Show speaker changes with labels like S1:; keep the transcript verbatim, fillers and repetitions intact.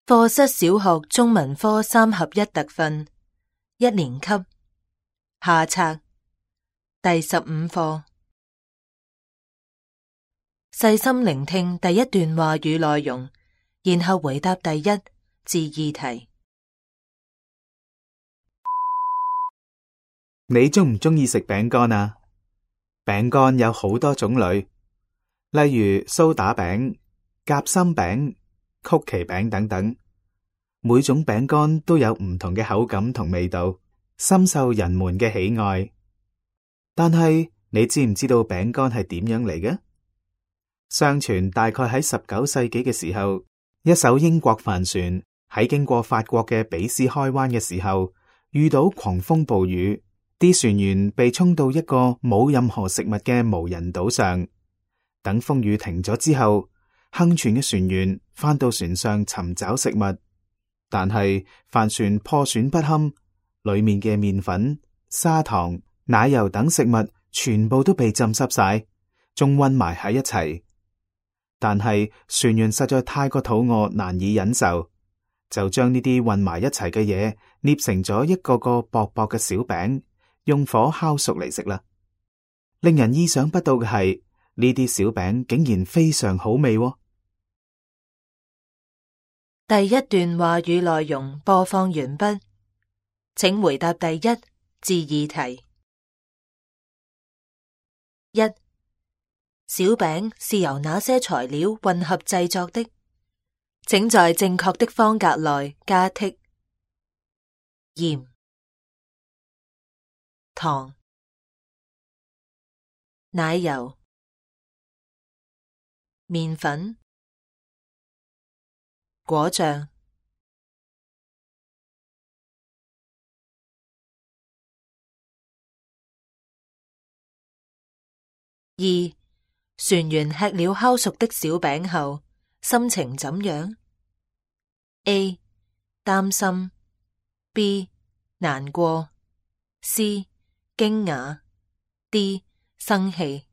S1: 課室小學中文科三合一特訓，一年級，下冊，第十五課。細心聆聽第一段話語內容，然後回答第一至二題。
S2: 你鍾唔鍾意食餅乾啊？餅乾有好多種類，例如蘇打餅、夾心餅、曲奇餅等等。每種餅乾都有唔同嘅口感同味道，深受人們嘅喜愛。但係你知唔知道餅乾係點樣嚟嘅？相傳大概喺十九世紀嘅時候，一艘英國帆船喺經過法國嘅比斯開灣嘅時候，遇到狂風暴雨，啲船員被沖到一個冇任何食物嘅無人島上。等風雨停咗之後，幸存嘅船員返到船上尋找食物，但係帆船破損不堪，裏面嘅麵粉、砂糖、奶油等食物全部都被浸濕晒，仲混埋喺一齊。但係船員實在太過肚餓，難以忍受，就將呢啲混埋一齊嘅嘢捏成咗一個個薄薄嘅小餅，用火烤熟嚟食啦。令人意想不到嘅係，呢啲小餅竟然非常好味喎。
S1: 第一段話語內容播放完畢，請回答第一至二題。一、小餅是由哪些材料混合製作的？請在正確的方格內加剔。鹽、糖、奶油、麵粉、果醬。二、船員吃了烤熟的小餅後，心情怎樣？ A. 擔心 B. 難過 C. 驚訝 D. 生氣。